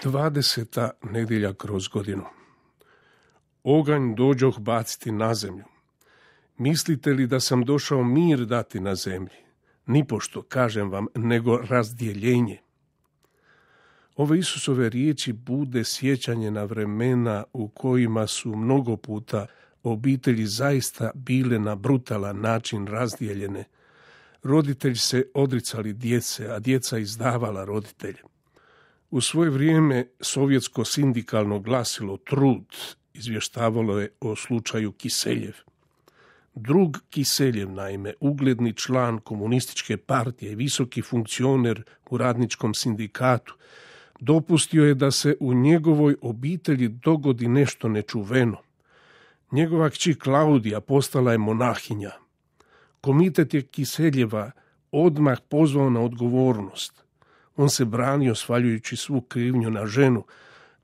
20. nedjelja kroz godinu. Oganj dođoh baciti na zemlju. Mislite li da sam došao mir dati na zemlji? Nipošto, kažem vam, nego razdjeljenje. Ove Isusove riječi bude sjećanje na vremena u kojima su mnogo puta obitelji zaista bile na brutalan način razdijeljene. Roditelji se odricali djece, a djeca izdavala roditelje. U svoje vrijeme sovjetsko sindikalno glasilo Trud izvještavalo je o slučaju Kiseljev. Drug Kiseljev, naime, ugledni član komunističke partije i visoki funkcioner u radničkom sindikatu, dopustio je da se u njegovoj obitelji dogodi nešto nečuveno. Njegova kći Klaudija postala je monahinja. Komitet je Kiseljeva odmah pozvao na odgovornost. On se branio svaljujući svu krivnju na ženu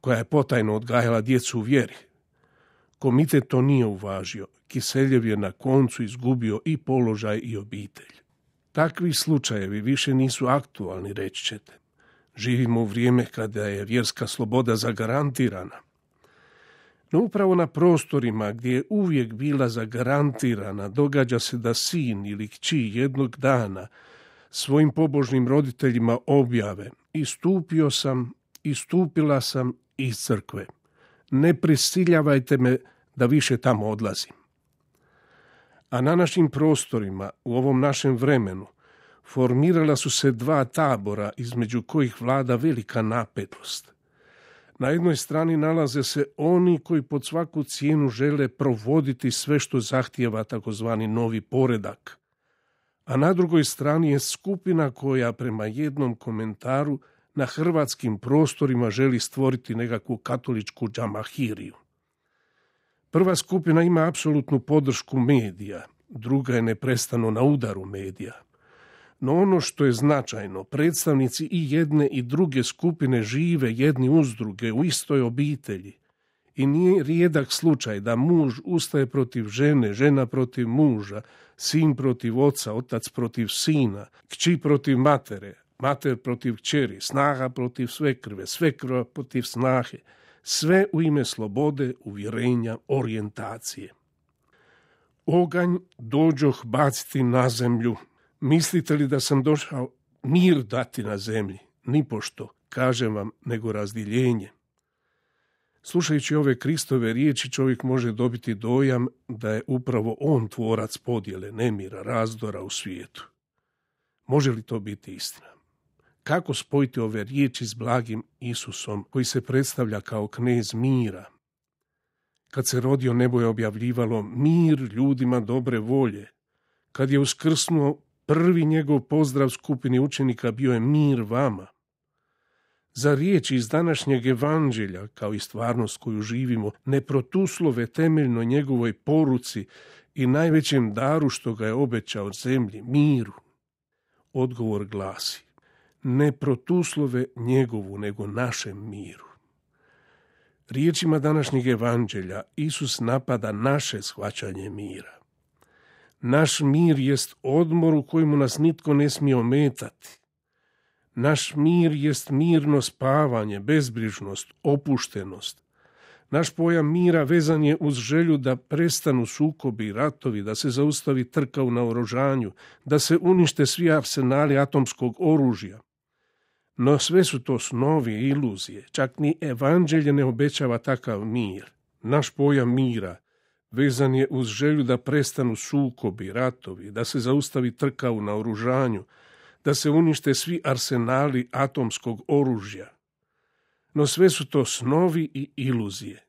koja je potajno odgajala djecu u vjeri. Komitet to nije uvažio. Kiseljev je na koncu izgubio i položaj i obitelj. Takvi slučajevi više nisu aktualni, reći ćete. Živimo u vrijeme kada je vjerska sloboda zagarantirana. No upravo na prostorima gdje je uvijek bila zagarantirana, događa se da sin ili kći jednog dana svojim pobožnim roditeljima objave: istupila sam iz crkve. Ne prisiljavajte me da više tamo odlazim. A na našim prostorima, u ovom našem vremenu, formirala su se dva tabora između kojih vlada velika napetost. Na jednoj strani nalaze se oni koji pod svaku cijenu žele provoditi sve što zahtijeva takozvani novi poredak. A na drugoj strani je skupina koja prema jednom komentaru na hrvatskim prostorima želi stvoriti nekakvu katoličku džamahiriju. Prva skupina ima apsolutnu podršku medija, druga je neprestano na udaru medija. No ono što je značajno, predstavnici i jedne i druge skupine žive jedni uz druge u istoj obitelji. I nije rijedak slučaj da muž ustaje protiv žene, žena protiv muža, sin protiv oca, otac protiv sina, kći protiv matere, mater protiv kćeri, snaha protiv svekrve, svekrva protiv snahe. Sve u ime slobode, uvjerenja, orijentacije. Oganj dođoh baciti na zemlju. Mislite li da sam došao mir dati na zemlji? Nipošto, kažem vam, nego razdjeljenje. Slušajući ove Kristove riječi, čovjek može dobiti dojam da je upravo on tvorac podjele, nemira, razdora u svijetu. Može li to biti istina? Kako spojiti ove riječi s blagim Isusom, koji se predstavlja kao knez mira? Kad se rodio, nebo je objavljivalo mir ljudima dobre volje. Kad je uskrsnuo, prvi njegov pozdrav skupini učenika bio je mir vama. Za riječi iz današnjeg evanđelja, kao i stvarnost koju živimo, ne protuslove temeljno njegovoj poruci i najvećem daru što ga je obećao zemlji, miru. Odgovor glasi: ne protuslove njegovu, nego našem miru. Riječima današnjeg evanđelja Isus napada naše shvaćanje mira. Naš mir jest odmor u kojemu nas nitko ne smije ometati. Naš mir jest mirno spavanje, bezbrižnost, opuštenost. Naš pojam mira vezan je uz želju da prestanu sukobi i ratovi, da se zaustavi trka u naoružanju, da se unište svi arsenali atomskog oružja. No sve su to snovi i iluzije. Čak ni evanđelje ne obećava takav mir. Naš pojam mira vezan je uz želju da prestanu sukobi, ratovi, da se zaustavi trka u naoružanju, da se unište svi arsenali atomskog oružja. No sve su to snovi i iluzije.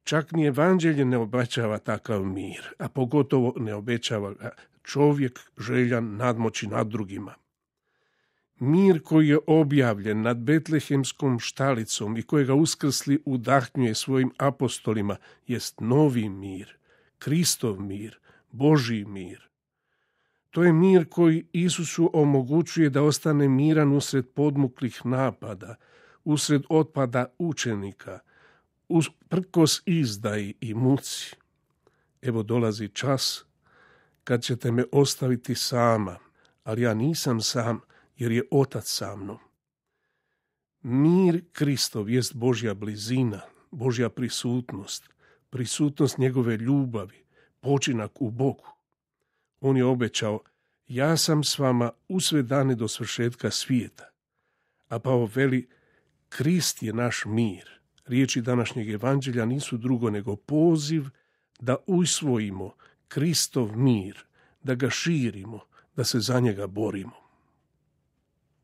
Čak ni evanđelje ne obećava takav mir, a pogotovo ne obećava ga čovjek željan nadmoći nad drugima. Mir koji je objavljen nad betlehemskom štalicom i kojega uskrsli udahnjuje svojim apostolima jest novi mir, Kristov mir, Božji mir. To je mir koji Isusu omogućuje da ostane miran usred podmuklih napada, usred otpada učenika, usprkos izdaji i muci. Evo dolazi čas kad ćete me ostaviti sama, ali ja nisam sam, jer je Otac sa mnom. Mir Kristov jest Božja blizina, Božja prisutnost njegove ljubavi, počinak u Bogu. On je obećao, ja sam s vama u sve dane do svršetka svijeta. A Pavao veli, Krist je naš mir. Riječi današnjeg evanđelja nisu drugo nego poziv da usvojimo Kristov mir, da ga širimo, da se za njega borimo.